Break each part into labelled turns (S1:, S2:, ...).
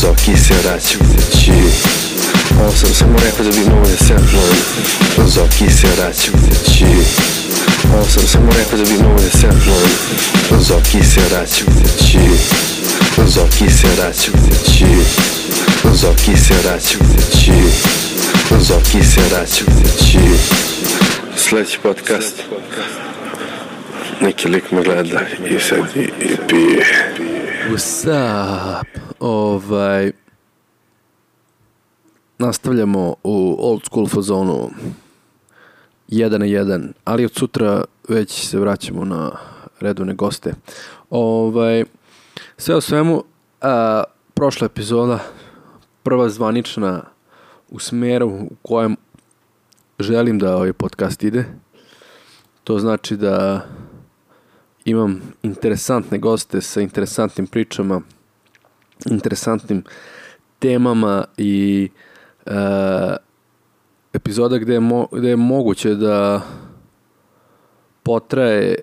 S1: Zoki se vraća kući. Ovo sam samo rekao da bi mogo da se napnujem. Zoki se vraća kući. Ovo sam samo rekao da bi mogo da se napnujem. Zoki se vraća kući. Zoki se vraća kući. Zoki se vraća kući. Zoki se vraća kući. Sljedeći podcast. Neki lik me gleda i sad i pije.
S2: What's up? Nastavljamo u old school fazonu 1 na 1, ali od sutra već se vraćamo na redovne goste. Sve o svemu, prošla epizoda, prva zvanična u smeru u kojem želim da ovaj podcast ide. To znači da imam interesantne goste sa interesantnim pričama, interesantnim temama i epizoda gde je moguće da potraje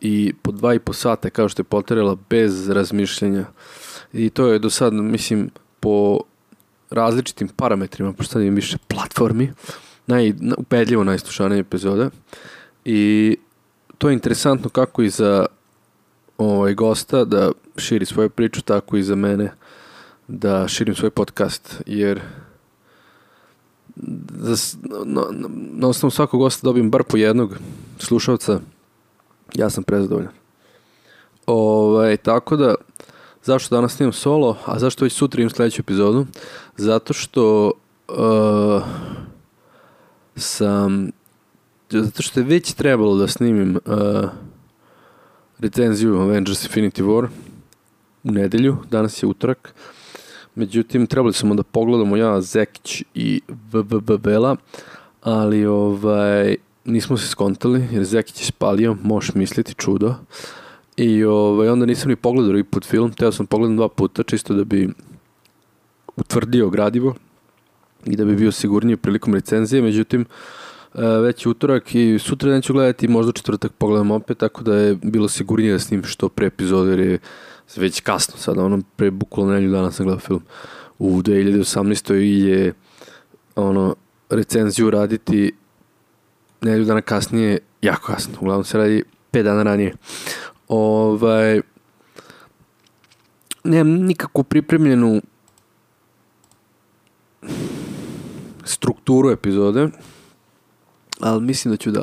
S2: i po 2,5 sata kao što je potrajala bez razmišljenja. I to je do sad, mislim, po različitim parametrima, pošto sad imam više platformi, upedljivo najslušanija epizoda. I to je interesantno kako i za gosta da širi svoju priču, tako i za mene da širim svoj podcast, jer na osnovu svakog gosta dobijem bar po jednog slušalca. Ja sam prezadovoljan. Tako da, zašto danas snimam solo, a zašto već sutra imam sljedeću epizodu? Zato što je već trebalo da snimim recenziju Avengers Infinity War u nedelju, danas je utorak. Međutim, trebali smo da pogledamo ja, Zekić i Vela, ali nismo se skontali jer Zekić je spalio, možeš misliti, čudo. I onda nisam ni pogledao i put film, teo sam pogledam 2 puta čisto da bi utvrdio gradivo i da bi bio sigurniji prilikom recenzije. Međutim, već je utorak i sutra neću gledati, možda četvrtak pogledam opet, tako da je bilo sigurnije da snim što pre epizode, jer je već kasno sada, pre bukvalno nedelju dana sam gledao film. U 2018. je recenziju raditi nedelju dana kasnije jako kasno, uglavnom se radi 5 dana ranije. Nemam nikakvu pripremljenu strukturu epizode, ali mislim da ću da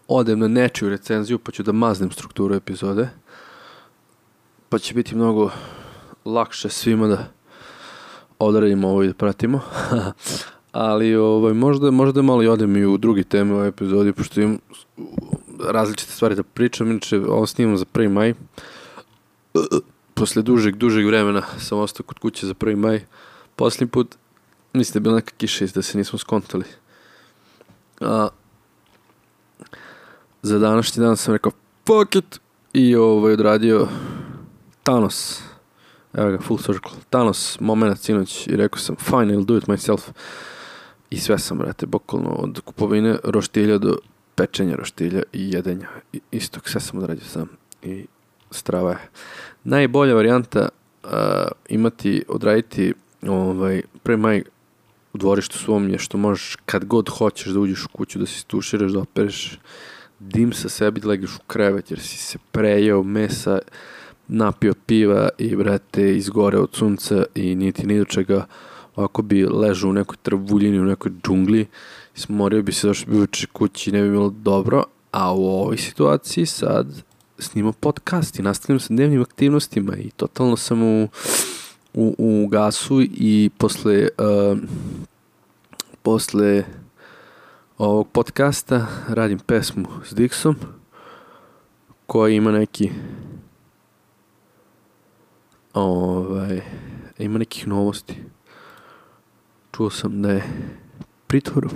S2: odem na nečiju recenziju pa ću da maznem strukturu epizode, pa će biti mnogo lakše svima da odradimo ovo i da pratimo. Ali možda malo i odem i u drugi teme u ovoj epizodi, pošto imam različite stvari da pričam. Inače, ovo snimam za 1. maj. Posle dužeg vremena sam ostao kod kuće za 1. maj. Posljednji put, mislim da je bila neka kiša da se nismo skontali. Za današnji dan sam rekao fuck it i odradio Thanos. Evo ga, full circle. Thanos, moment sinoć, i rekao sam fine, I'll do it myself. I sve sam, brate, bukvalno od kupovine roštilja do pečenja roštilja i jedenja istog, sve sam odradio sam i strava je. Najbolja varijanta odraditi 1. maj u dvorištu svom je što možeš kad god hoćeš da uđeš u kuću, da se istuširaš, da opereš dim sa sebi, da legneš u krevet jer si se prejeo mesa, napio piva i, brate, izgore od sunca i niti ni do čega. Ovako bi ležao u nekoj travuljini, u nekoj džungli, smorio bi se, došao bi uveče kući i ne bi bilo dobro. A u ovoj situaciji sad snimam podcast i nastavljam sa dnevnim aktivnostima i totalno sam u gasu. I posle ovog podcasta radim pesmu s Dixom koja ima neki ima nekih novosti. Čuo sam da je pritvoru.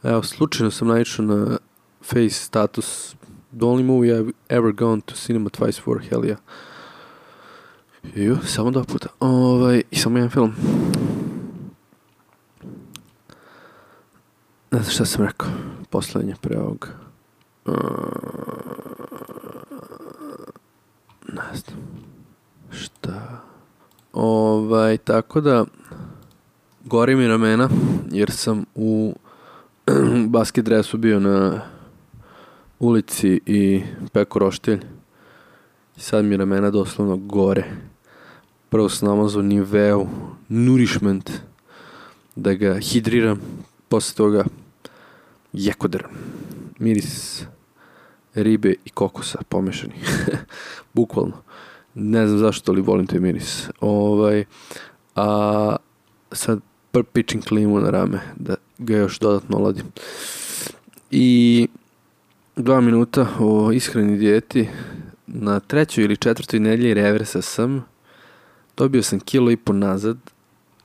S2: Evo, slučajno sam naišao na face status the only movie I've ever gone to cinema twice for, hell yeah. Samo 2 puta. I samo jedan film. Ne znam šta sam rekao. Poslednje pre ovog. Tako da gori mi ramena jer sam u basket dresu bio na ulici i peko roštilj. I sad mi ramena doslovno gore. Prvo sam namazao Niveu Nourishment da ga hidriram, posle toga Jekoder, miris ribe i kokosa pomešani. Bukvalno. Ne znam zašto, ali volim taj miris. A sad pičim klimu na rame da ga još dodatno oladim. I 2 minuta o ishrani dijeti. Na 3. ili 4. nedelji reversa sam. Dobio sam 1,5 kg nazad.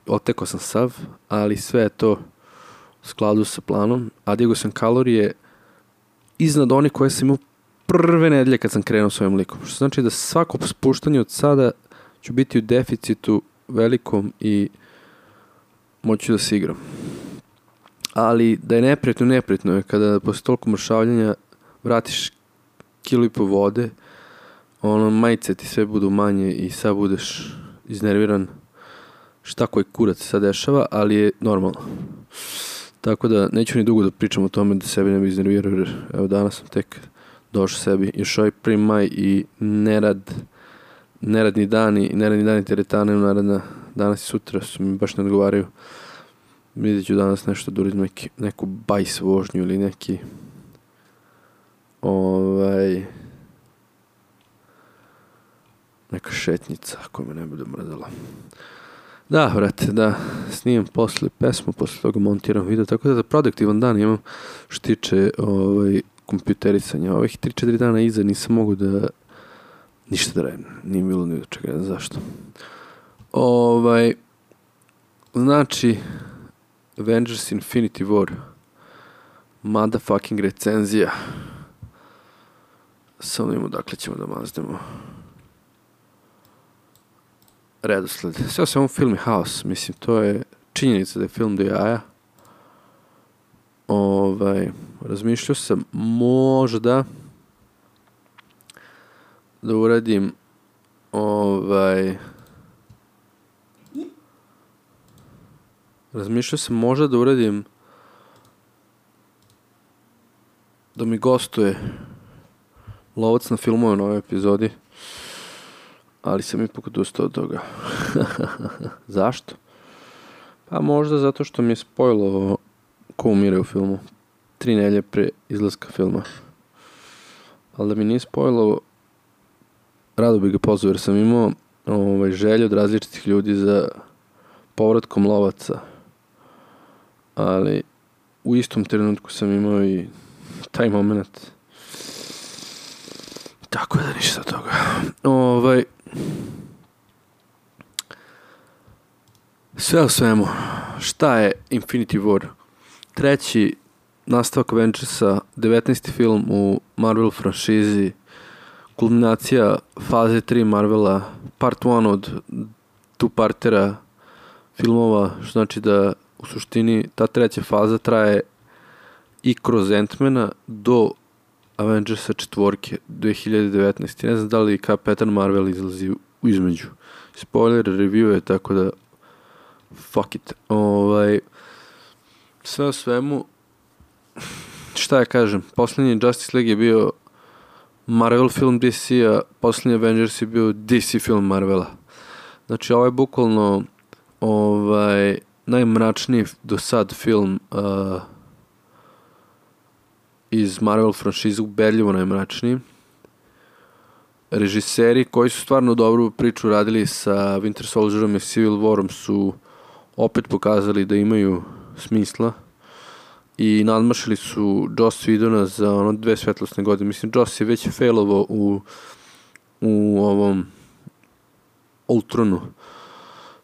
S2: Otekao sam sav, ali sve je to u skladu sa planom. A digao sam kalorije iznad onih koje sam imao prve nedelje kad sam krenuo svojim likom. Što znači da svako spuštanje od sada ću biti u deficitu velikom i moću da se igram. Ali da je neprijatno je kada posle toliko mršavljanja vratiš 1,5 kg vode, majice ti sve budu manje i sad budeš iznerviran šta koji kurac se sad dešava, ali je normalno. Tako da neću ni dugo da pričam o tome da sebi ne bi iznervirao, jer evo danas sam tek došao sebi. Još ovaj 1. maj i neradni dani teretane naredna danas i sutra su mi baš ne odgovaraju. Vidjet ću danas nešto da uradim, neku bajs vožnju ili neki neka šetnica ako me ne bude mrzela. Da, brate, da snimam posle pesmu, posle toga montiram video, tako da produktivan dan imam što tiče kompjuterisanja. Ovih 3-4 dana iza nisam mogu da ništa da radim, nije bilo ni do čega, ne znam zašto. Znači, Avengers Infinity War, motherfucking recenzija. Samo da imamo dakle ćemo da maznemo redosled. Sve o svemu film je haos, mislim, to je činjenica da je film do jaja. Razmišljao sam možda da uradim da mi gostuje lovac na filmove na ovoj epizodi, ali sam ipak odustao od toga. Zašto? Pa možda zato što mi je spojilo ko umire u filmu 3 nedelje pre izlaska filma. Ali da mi nije spojilo, rado bi ga pozvao jer sam imao želju od različitih ljudi za povratkom lovaca. Ali u istom trenutku sam imao i taj moment. Tako da ništa od toga. Sve u svemu, šta je Infinity War? 3. nastavak Avengersa, 19. film u Marvel franšizi, kulminacija faze 3 Marvela, part 1 od two-partera filmova, što znači da u suštini ta 3. faza traje i kroz Ant-mana do Avengersa 4. 2019. Ne znam da li Kapetan Marvel izlazi u između. Spoiler review je, tako da fuck it. Sve o svemu, šta ja kažem, posljednji Justice League je bio Marvel film DC-a, posljednji Avengers je bio DC film Marvela. Znači ovo je bukvalno najmračniji do sad film iz Marvel franšize, ubedljivo najmračniji. Režiseri koji su stvarno dobru priču radili sa Winter Soldierom i Civil Warom su opet pokazali da imaju smisla i nadmašili su Joss Whedona za 2 svetlosne godine. Mislim, Joss je već failovao u ovom Ultronu.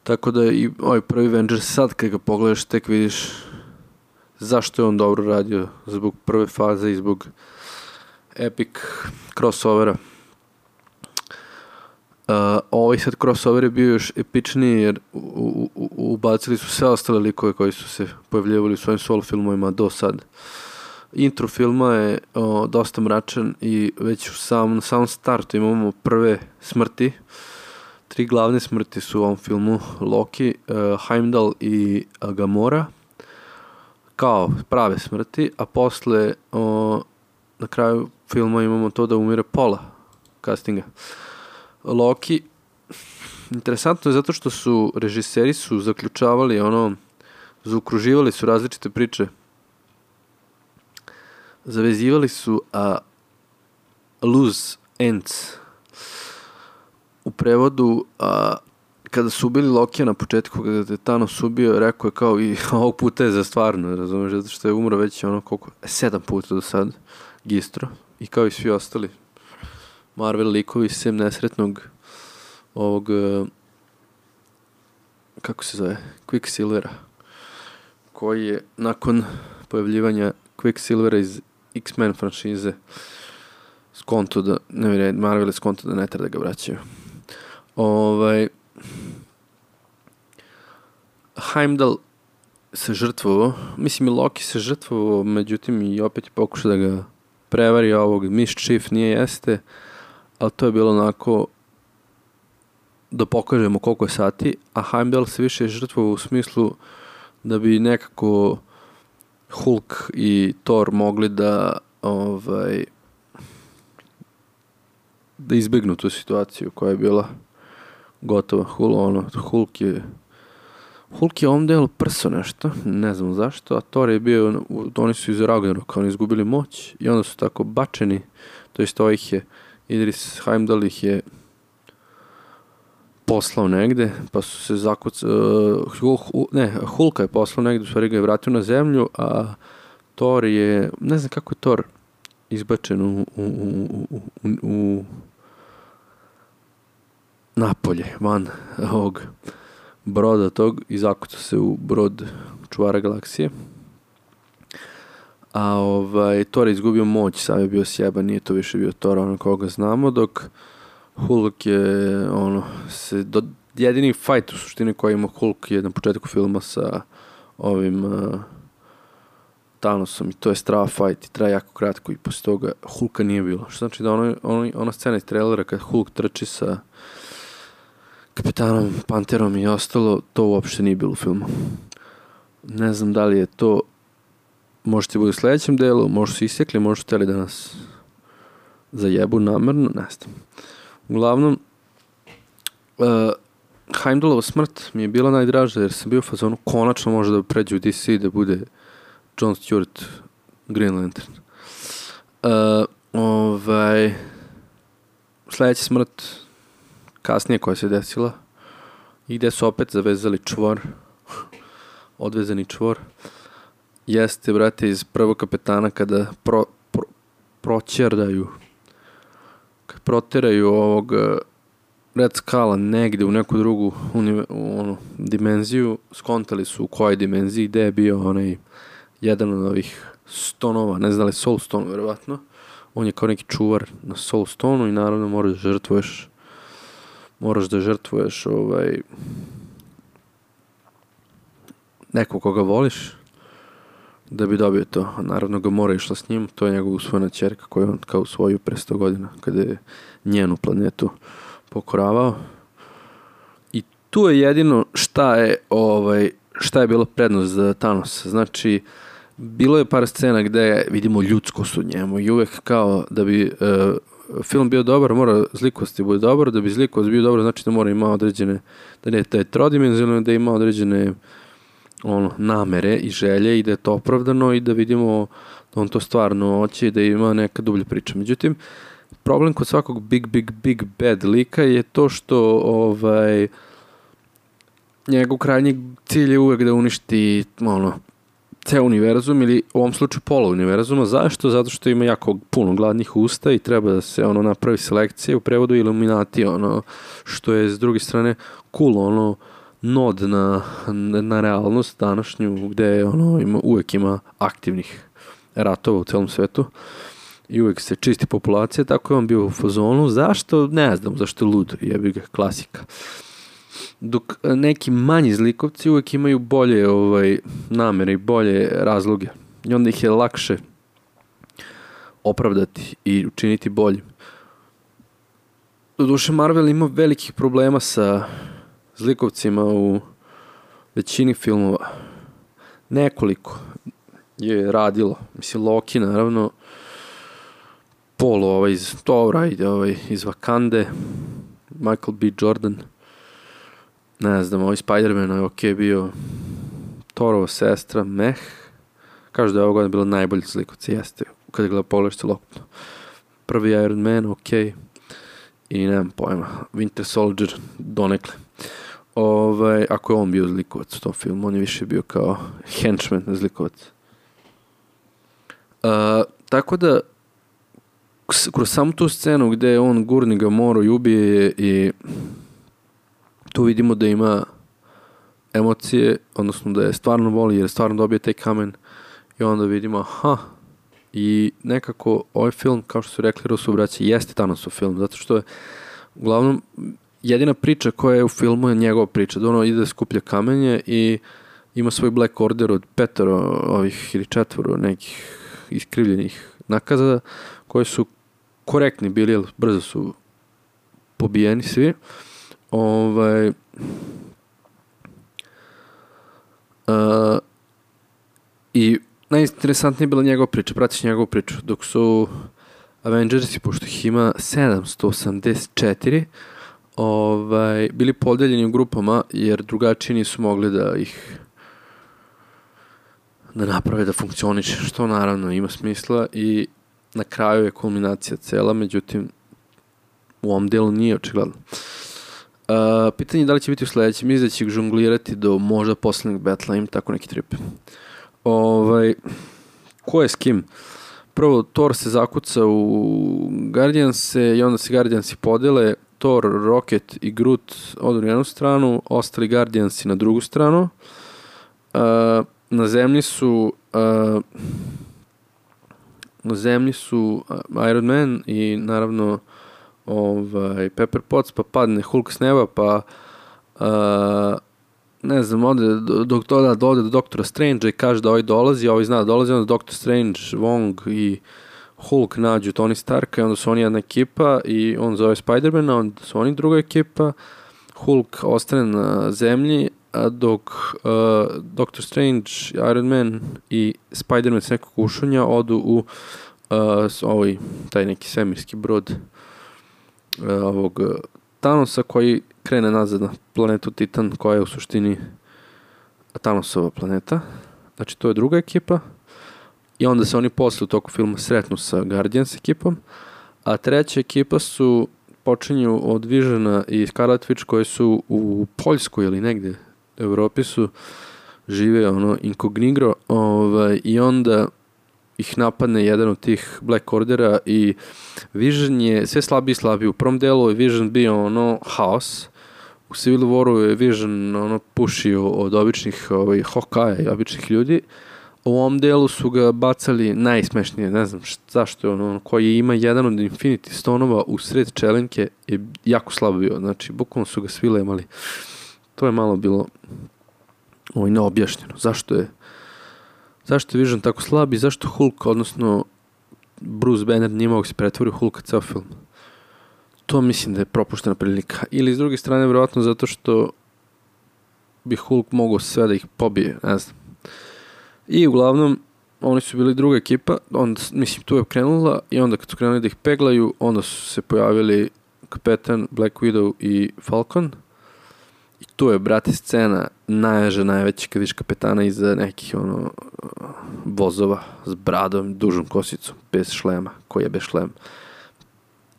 S2: Tako da i ovaj prvi Avengers sad kad ga pogledaš tek vidiš zašto je on dobro radio, zbog prve faze i zbog epic crossovera. Ovaj sad crossover je bio još epičniji jer ubacili su sve ostale likove koji su se pojavljivali u svojim solo filmovima do sad. Intro filma je dosta mračan i već na samom startu imamo prve smrti. tri glavne smrti su u ovom filmu: Loki, Heimdall i Gamora, kao prave smrti, a posle na kraju filma imamo to da umire pola castinga. Loki, interesantno je zato što su režiseri zaključavali zaokruživali su različite priče, zavezivali su loose ends. U prevodu, kada su ubili Lokija na početku, kada je Thanos ubio, rekao je kao i ovog puta je za stvarno, razumiješ, zato što je umro već 7 puta do sad, gistro, i kao i svi ostali Marvel likovi, sem nesretnog ovog, kako se zove, Quicksilvera, koji je nakon pojavljivanja Quicksilvera iz X-Men franšize skonto da, Marvel je skonto da ne treba da ga vraćaju. Heimdall se žrtvovao, mislim i Loki se žrtvovao, međutim i opet je pokušao da ga prevari ovog mischief, nije jeste, ali to je bilo onako da pokažemo koliko je sati, a Heimdall se više žrtvovao u smislu da bi nekako Hulk i Thor mogli da da izbegnu tu situaciju koja je bila gotova. Hulk je ovom delu prso nešto, ne znam zašto, a Thor je bio, oni su iz Ragnaroka, oni izgubili moć i onda su tako bačeni, to jest ovih je, Idris Heimdall ih je poslao negde, pa su se Hulka je poslao negde, u stvari ga je vratio na zemlju, a Thor je, ne znam kako je Thor izbačen u napolje, van ovog broda tog, i zakucao se u brod čuvara galaksije. A Thor je izgubio moć, sad je bio sjeban, nije to više bio Thor, koga znamo, dok Hulk je, jedini fight u suštini koji ima Hulk je na početku filma sa ovim Thanosom, i to je strava fight i traje jako kratko, i posle toga Hulka nije bilo. Što znači da ona scena iz trailera kad Hulk trči sa Kapetanom Panterom i ostalo, to uopšte nije bilo u filmu. Ne znam da li je to, možete biti u sledećem delu, možda su isekli, možda su hteli da nas zajebu namerno, ne znam. Uglavnom, Heimdallova smrt mi je bila najdraža, jer sam bio u fazonu konačno može da pređe u DC da bude John Stewart Green Lantern. Sledeća smrt kasnije koja se desila i gde su opet zavezali čvor, odvezani čvor, jeste, brate, iz prvog Kapetana kada proteraju ovog Red Skulla negde u neku drugu dimenziju, skontali su u kojoj dimenziji, gde je bio onaj jedan od ovih stonova, ne znam da li Soul Stone, verovatno. On je kao neki čuvar na Soul Stoneu i naravno moraš da žrtvuješ nekog koga voliš da bi dobio to. Naravno ga mora išla s njim, to je njegova usvojena ćerka koju on kao usvojio pre 100 godina kada je njenu planetu pokoravao. I tu je jedino šta je bilo prednost za Thanos. Znači, bilo je par scena gde vidimo ljudskost u njemu i uvek kao da bi film bio dobar, mora zlikost bude dobar, da bi zlikost bio dobar, znači da mora ima određene, da je trodimenzionalno, da ima određene namere i želje i da je to opravdano i da vidimo da on to stvarno hoće i da ima neka dublja priča. Međutim, problem kod svakog big bad lika je to što njegov krajnji cilj je uvek da uništi ceo univerzum ili u ovom slučaju pola univerzuma. Zašto? Zato što ima jako puno gladnih usta i treba da se napravi selekcija, u prevodu Illuminati, što je s druge strane cool, nod na realnost današnju, gde uvek ima aktivnih ratova u celom svetu i uvek se čisti populacija, tako je on bio u fazonu. Zašto? Ne znam, zašto je lud, jebi ga, klasika. Dok neki manji zlikovci uvek imaju bolje namere i bolje razloge i onda ih je lakše opravdati i učiniti boljim. Doduše Marvel ima velikih problema sa zlikovcima u većini filmova. Nekoliko je radilo. Mislim, Loki, naravno, Paul iz Thora, iz Wakande, Michael B. Jordan, ne znam, Spider-Man je ok bio, Thorova sestra, kažu da je ova godina bila najbolji zlikovci, jeste, kada gleda pogledaš celokupno. Prvi Iron Man, ok, i nemam pojma, Winter Soldier, donekle. Ako je on bio zlikovac u tom filmu, on je više bio kao henchman zlikovac. Tako da, kroz samu tu scenu gde on gurni ga moru i ubije i tu vidimo da ima emocije, odnosno da je stvarno voli jer stvarno dobije taj kamen i onda vidimo i nekako ovaj film, kao što su rekli Russo braća, jeste Thanosov film, zato što je uglavnom jedina priča koja je u filmu je njegova priča, da ono ide da skuplja kamenje i ima svoj Black Order od 5 ili 4 nekih iskrivljenih nakaza koji su korektni bili, jer brzo su pobijeni svi. I najinteresantnije je bila njegova priča, pratiš njegovu priču, dok su Avengersi, pošto ih ima 784, bili podeljeni u grupama, jer drugačiji nisu mogli da ih naprave da funkcioniše, što naravno ima smisla i na kraju je kulminacija cela, međutim u ovom delu nije očigledno. Pitanje je da li će biti u sledećem, mislim da će ih žonglirati do možda poslednjeg betla, im tako neki trip. Ko je s kim? Prvo, Thor se zakuca u Guardianse i onda se Guardiansi podele, Thor, Rocket i Groot odu na jednu stranu, ostali Guardiansi na drugu stranu. Na zemlji su Iron Man i naravno Pepper Potts, pa padne Hulk s neba, pa ne znam, ode do Doktora Strange i kaže da ovaj dolazi, ovaj zna da dolazi, onda Doktor Strange, Wong i Hulk nađu Tony Starka i onda su oni jedna ekipa i on zove Spider-mana, onda su oni druga ekipa, Hulk ostane na zemlji, dok Doctor Strange, Iron Man i Spider-Man s nekog ušunja odu u taj neki svemirski brod ovog Thanosa koji krene nazad na planetu Titan koja je u suštini Thanosova planeta. Znači to je druga ekipa i onda se oni posle u toku filma sretnu sa Guardians ekipom, a treća ekipa počinju od Visiona i Scarlet Witch koji su u Poljskoj ili negde u Evropi žive inkognito i onda ih napadne jedan od tih Black Ordera i Vision je sve slabiji i slabiji. U prvom delu je Vision bio haos, u Civil Waru je Vision pušio od običnih Hawkeye i običnih ljudi. U ovom delu su ga bacali najsmešnije, ne znam zašto je koji ima jedan od Infinity Stonova u sred čelenke je jako slabo bio, znači bukvalno su ga svi lemali. To je malo bilo neobjašnjeno. Zašto je Vision tako slab i zašto Hulk, odnosno Bruce Banner nije mogu se pretvoriti u Hulka ceo film? To mislim da je propuštena prilika. Ili s druge strane, vjerojatno zato što bi Hulk mogao sve da ih pobije, ne znam. I uglavnom, oni su bili druga ekipa, onda, mislim, tu je krenula i onda kad su krenuli da ih peglaju, onda su se pojavili Kapetan, Black Widow i Falcon. I tu je, brate, scena najveća kad viš Kapetana iza nekih vozova s bradom, dužom kosicom, bez šlema, koji je bez šlema.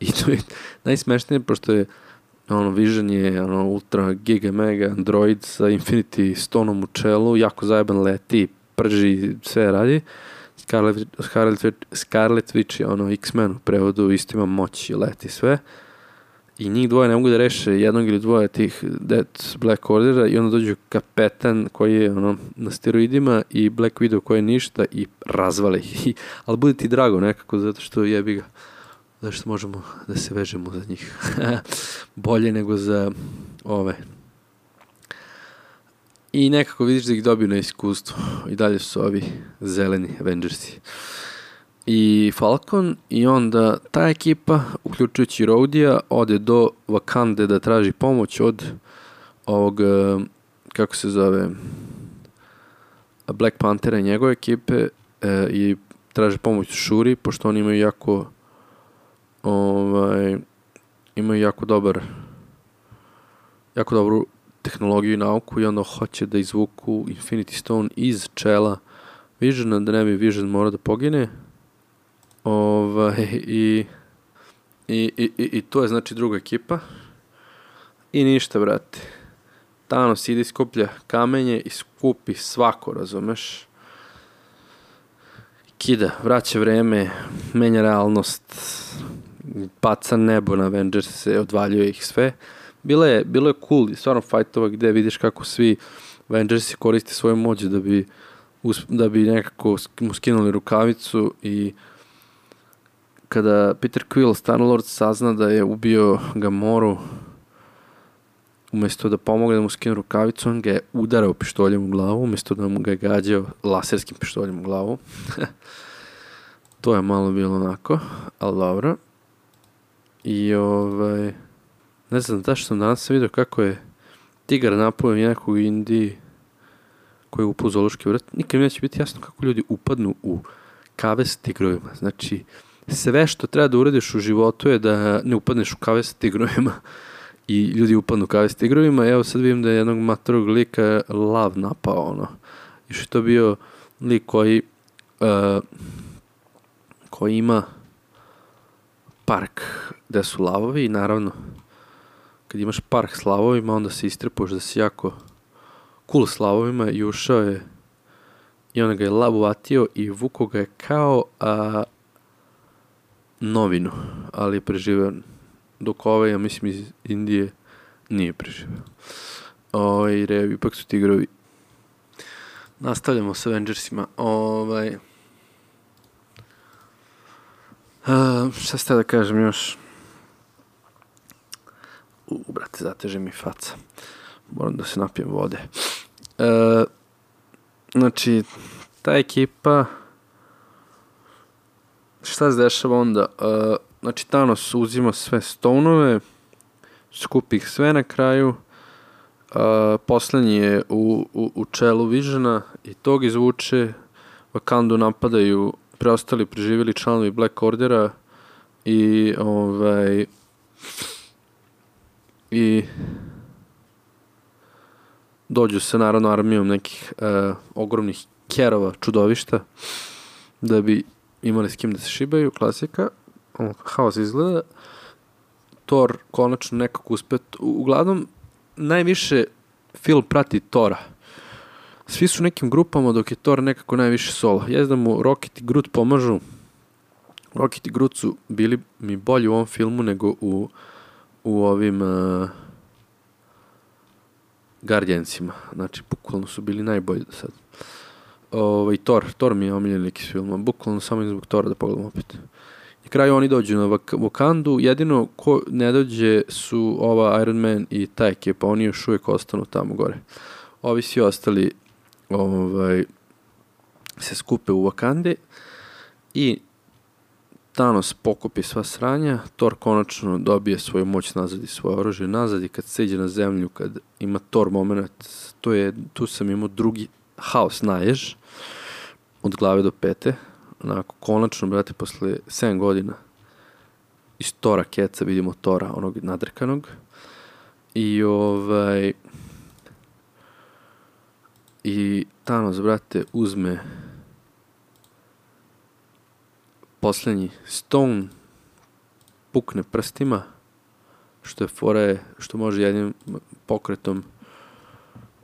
S2: I to je najsmešnije, pošto je Vision je ultra giga mega android sa Infinity Stoneom u čelu, jako zajeban leti, prži, sve radi. Scarlet Witch je X-Men u prevodu, isto ima moć i leti sve. I njih dvoje ne mogu da reše jednog ili dvoje tih Black Ordera i onda dođu Kapetan koji je na steroidima i Black Widow koji je ništa i razvale ih. Ali bude ti drago nekako zato što jebi ga. Zato što možemo da se vežemo za njih. Bolje nego za ove. I nekako vidiš da ih dobiju na iskustvu. I dalje su ovi zeleni Avengersi. i Falcon i onda ta ekipa, uključujući Rhodija, ode do Wakande da traži pomoć od ovog, kako se zove, Black Panthera i njegove ekipe i traže pomoć Shuri, pošto oni imaju jako dobru tehnologiju i nauku i onda hoće da izvuku Infinity Stone iz čela Visiona, da ne bi Vision morao da pogine. I to je znači druga ekipa. I ništa, brate. Thanos ide, skuplja kamenje i skupi svako, razumeš? Kida, vraća vreme, menja realnost, baca nebo na Avengers-e, odvaljuje ih sve. Bilo je cool, stvarno fightova gde vidiš kako svi Avengersi koriste svoju moć da bi nekako mu skinuli rukavicu i kada Peter Quill, Star-Lord, sazna da je ubio Gamoru, umjesto da pomogne da mu skinu rukavicu, on ga je udarao pištoljem u glavu, umjesto da mu ga je gađao laserskim pištoljem u glavu. To je malo bilo onako, ali dobro. I ne znam da što sam danas vidio kako je tigar napao nekog u Indiji koji je upao u zoološki vrt. Nikad mi neće biti jasno kako ljudi upadnu u kavez s tigrovima. Znači, sve što treba da uradiš u životu je da ne upadneš u kavez s tigrovima i ljudi upadnu u kavez s tigrovima. Evo sad vidim da je jednog matorog lika lav napao, I što je to bio lik koji ima park gde su lavovi i naravno kad imaš park s lavovima onda se istrepuješ da si jako cool s lavovima i ušao je i onda ga je lav uvatio i vuko ga je kao novinu, ali je preživeo, dok ja mislim iz Indije nije preživeo. Ipak su tigrovi. Nastavljamo s Avengersima. Šta ste da kažem još? Brate, zateže mi faca. Moram da se napijem vode. Znači, ta ekipa, šta se dešava onda? Znači, Thanos uzima sve Stoneove, skupi ih sve na kraju, poslednji je u čelu Visiona i tog izvuče, Wakandu napadaju preostali preživjeli članovi Black Ordera i dođu se naravno armijom nekih ogromnih kerova, čudovišta, da bi imali s kim da se šibaju, klasika. Haos izgleda. Thor konačno nekako uspet. Uglavnom, najviše film prati Thora. Svi su nekim grupama, dok je Thor nekako najviše solo. Da mu Rocket i Groot pomažu. Rocket i Groot su bili mi bolji u ovom filmu nego u ovim Guardiansima. Znači, bukvalno su bili najbolji do sad. Thor mi je omiljen lik iz filma. Bukvalno samo zbog Thora da pogledam opet. Na kraju oni dođu na Wakandu. Jedino ko ne dođe su ova Iron Man i ta ekipa. Oni još uvijek ostanu tamo gore. Ovi svi ostali se skupe u Wakande i Thanos pokupi sva sranja, Thor konačno dobije svoju moć nazad i svoje oružje nazad i kad se iđe na zemlju, kad ima Thor moment, tu sam imao drugi haos najež od glave do pete, onako konačno, brate, posle 7 godina iz Thora keca vidimo Thora, onog nadrkanog i Thanos, brate, uzme poslednji Stone, pukne prstima, što može jednim pokretom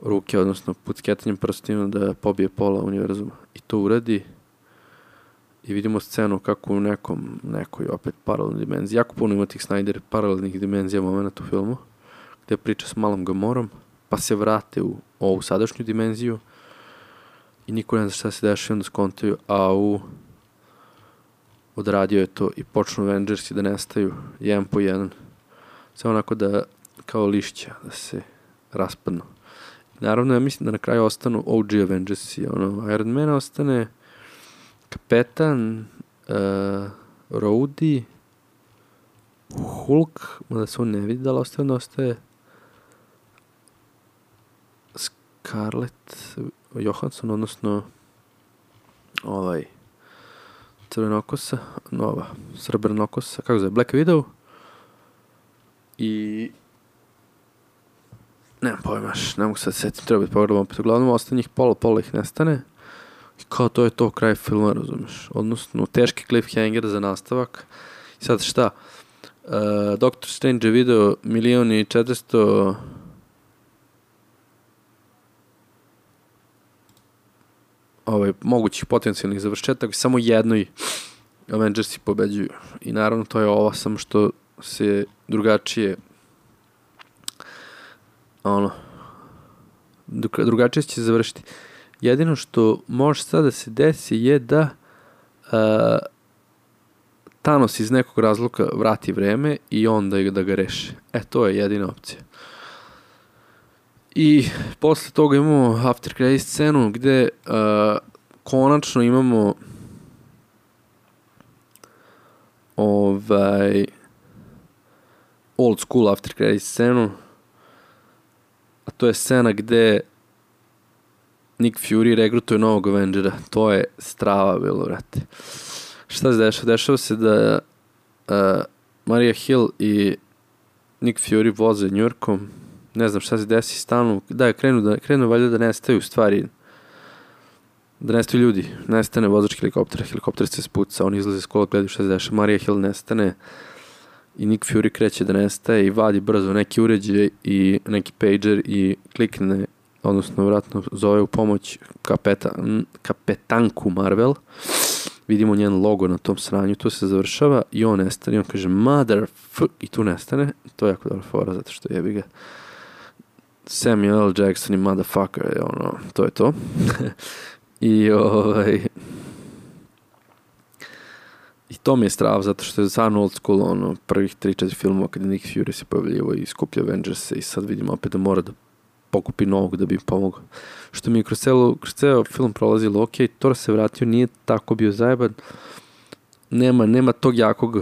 S2: ruke, odnosno pucketanjem prstima da pobije pola univerzuma. I to uradi i vidimo scenu kako u nekoj opet paralelnoj dimenziji. Jako puno ima tih Snyder paralelnih dimenzija momenta u filmu, gde priča s malom Gamorom, pa se vrate u ovu sadašnju dimenziju i niko ne zna šta se dešava, onda skontaju, odradio je to i počnu Avengersi da nestaju jedan po jedan. Sve onako da, kao lišća, da se raspadnu. Naravno, ja mislim da na kraju ostanu OG Avengersi. Iron Man ostane, Kapetan, Rhodey, Hulk, mada se on ne vidi da li ostaje Scarlett Johansson, odnosno crvenokosa, srebrnokosa, kako zove, Black Widow i nemam pojmaš, ne mogu sad setim, treba biti pogledam opet, uglavnom ostane njih pola ih nestane i kao to je to kraj filma, razumeš, odnosno teški cliffhanger za nastavak. I sad šta, Doctor Strange je video 1.400.000 mogućih potencijalnih završetaka, samo jednoj Avengersi pobeđuju. I naravno to je ovo, samo što se drugačije drugačije će završiti. Jedino što može sad da se desi je da Thanos iz nekog razloga vrati vreme i onda da ga reši. To je jedina opcija. I posle toga imamo after credit scenu gde konačno imamo old school after credit scenu, a to je scena gde Nick Fury regrutuje novog Avengera. To je strava bilo, vrate. Šta se dešava? Dešava se da Maria Hill i Nick Fury voze Njujorkom. Ne znam šta se desi, stanu. Da, krenu valjda da nestaju stvari. Da nestaju ljudi. Nestane vozač helikoptera. Helikopter se spuca, oni izlaze iz kola, gledaju šta se dešava. Maria Hill nestane i Nick Fury kreće da nestaje i vadi brzo neki uređaj i neki pager i klikne, odnosno vratno zove u pomoć kapetanku Marvel. Vidimo njen logo na tom sranju, to se završava i on nestane i on kaže i tu nestane. To je jako dobra fora zato što jebi ga Samuel L. Jackson i motherfucker, to je to. I i to mi je strava zato što je stvarno old school, prvih 3-4 filmova kada Nick Fury se pojavljivo i skuplja Avengers i sad vidimo opet da mora da pokupi novog da bi im pomogao. Što mi je kroz ceo film prolazilo, ok, Thor se vratio, nije tako bio zajeban, nema tog jakog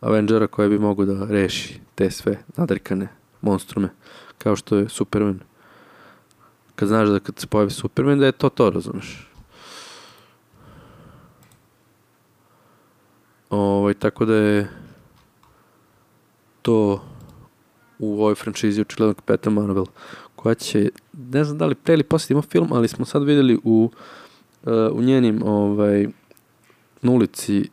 S2: Avengera koji bi mogao da reši te sve nadrkane monstrume, kao što je Superman. Kad znaš da kad se pojavi Superman, da je to, razumeš. Tako da je to u ovoj franšizi očigledno Kapetan Marvel, koja će, ne znam da li pre ili posle ima film, ali smo sad vidjeli u njenim na ulici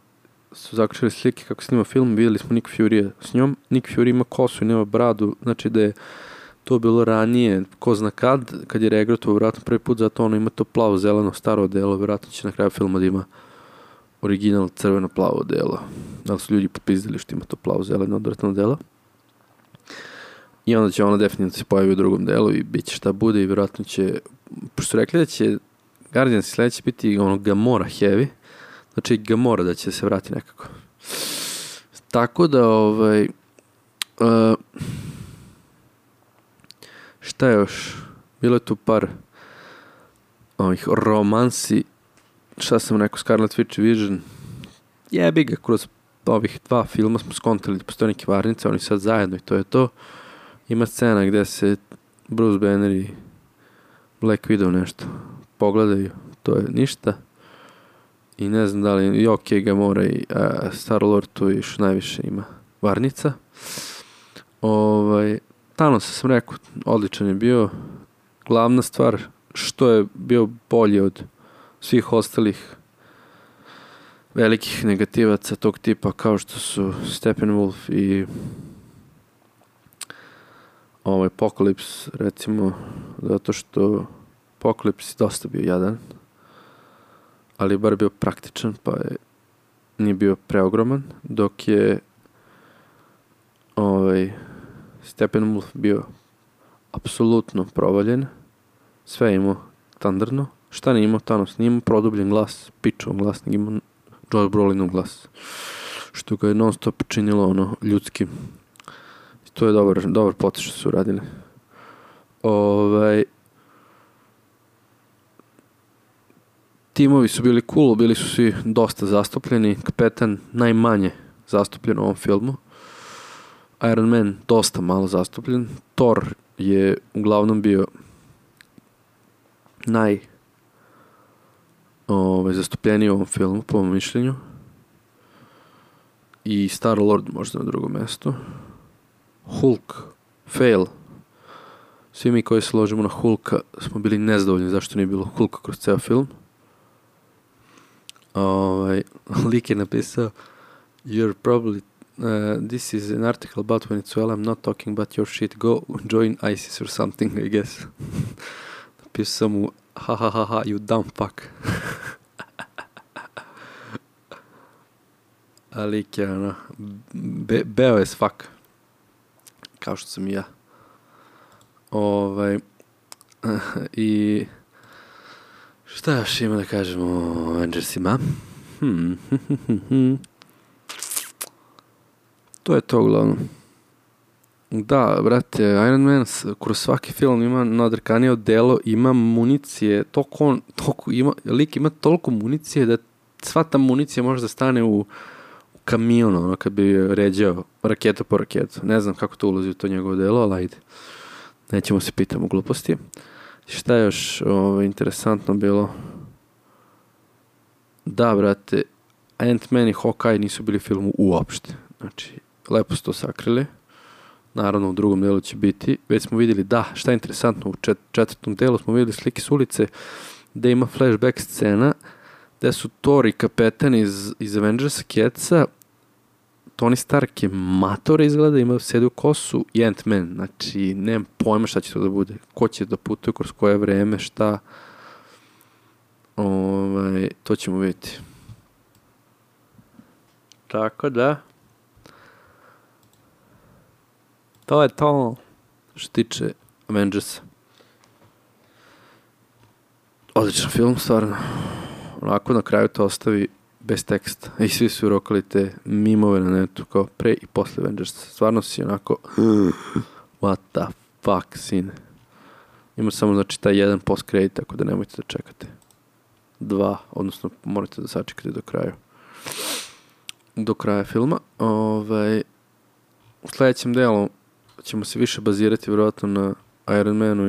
S2: su zakačili slike kako snima film, vidjeli smo Nick Fury s njom. Nick Fury ima kosu i nema bradu, znači da je to bilo ranije, ko zna kad je regrutovao vjerojatno prvi put, zato ono ima to plavo-zeleno staro delo, vjerojatno će na kraju filma da ima original crveno-plavo delo. Da li su ljudi popizdili što ima to plavo-zeleno odvratno delo. I onda će ona definitivno se pojavi u drugom delu i bit će šta bude i vjerojatno će, pošto su rekli da će Guardians sledeće biti Gamora heavy, znači Gamora da će se vrati nekako. Tako da šta je još? Bilo je tu par romansi, šta sam rekao, Scarlet Witch Vision, jebi ga, kroz ovih 2 filma smo skontali da postoje neke varnice, oni sad zajedno i to je to. Ima scena gde se Bruce Banner i Black Widow nešto pogledaju, to je ništa. I ne znam da li, Gamora i Star-Lord tu još najviše ima varnica. Thanos sam rekao, odličan je bio. Glavna stvar, što je bio bolji od svih ostalih velikih negativaca tog tipa, kao što su Steppenwolf i Apocalypse, recimo, zato što Apocalypse je dosta bio jadan, ali je bar bio praktičan, pa nije bio preogroman, dok je Steppenwolf bio apsolutno provaljen, sve je imao standardno. Šta nije imao Thanos? Nije imao produbljen glas, pičovan glas, nego imao Josh Brolinov glas, što ga je non stop činilo ljudskim. I to je dobar potez što su uradili. timovi su bili cool, bili su svi dosta zastupljeni, kapetan najmanje zastupljen u ovom filmu, Iron Man dosta malo zastupljen, Thor je uglavnom bio zastupljeniji u ovom filmu, po mom mišljenju, i Star-Lord možda na drugom mjestu. Hulk, fail. Svi mi koji se ložimo na Hulka smo bili nezadovoljni zašto nije bilo Hulka kroz ceo film. Lik je napisao You're probably this is an article about Venezuela, I'm not talking about your shit, go join ISIS or something, I guess. Napisao mu ha, you dumb fuck. A lik je beo as fuck, kao što sam i ja. I šta još ima da kažemo o Avengersima? To je to uglavnom. Da, brate, Iron Man kroz svaki film ima nadrkanije odelo, ima municije, lik ima toliko municije da sva ta municija može da stane u kamion, ono, kad bi ređao raketa po raketu. Ne znam kako to ulazi u to njegovo delo, ali ajde. Nećemo se pitamo gluposti. Šta je još interesantno bilo? Da, brate, Ant-Man i Hawkeye nisu bili u filmu uopšte. Znači, lepo su to sakrili. Naravno, u drugom delu će biti. Već smo vidjeli, da, šta je interesantno, u četvrtom delu smo vidjeli slike s ulice gde ima flashback scena gde su Thor i kapetan iz Avengersa Kjeca, Tony Stark je mator izgleda, ima sedi u kosu i Ant-Man, znači nemam pojma šta će to da bude, ko će da putuje kroz koje vreme, šta, to ćemo vidjeti. Tako da, to je to što tiče Avengersa. Odličan film, stvarno. Onako na kraju to ostavi bez teksta. I svi su urokali te mimove na netu kao pre i posle Avengersa. Stvarno si onako what the fuck, sine. Ima samo znači taj jedan post credit, tako da nemojte da čekate. 2, odnosno morate da sačekate do kraja filma. U sljedećem delu ćemo se više bazirati vjerojatno na Iron Manu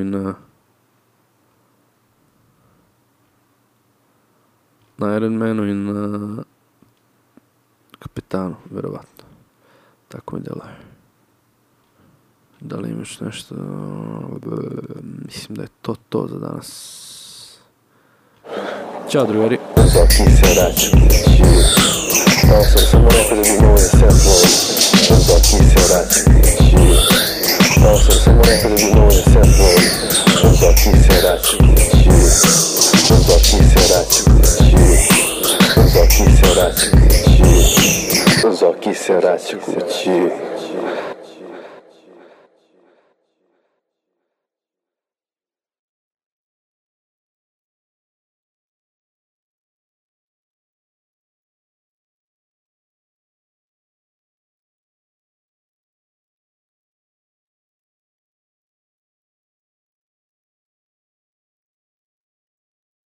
S2: i na kapetanu, vjerovatno. Tako mi deluje. Da li imaš nešto? Mislim da je to za danas. Ćao, drugari.
S1: Zaki se raču. Samo rekao da bi mogo da se upload. Zaki se raču. Samo rekao da bi mogo da se upload. Zaki se raču. Zaki se raču. Zaki se raču. Zaki se raču kući.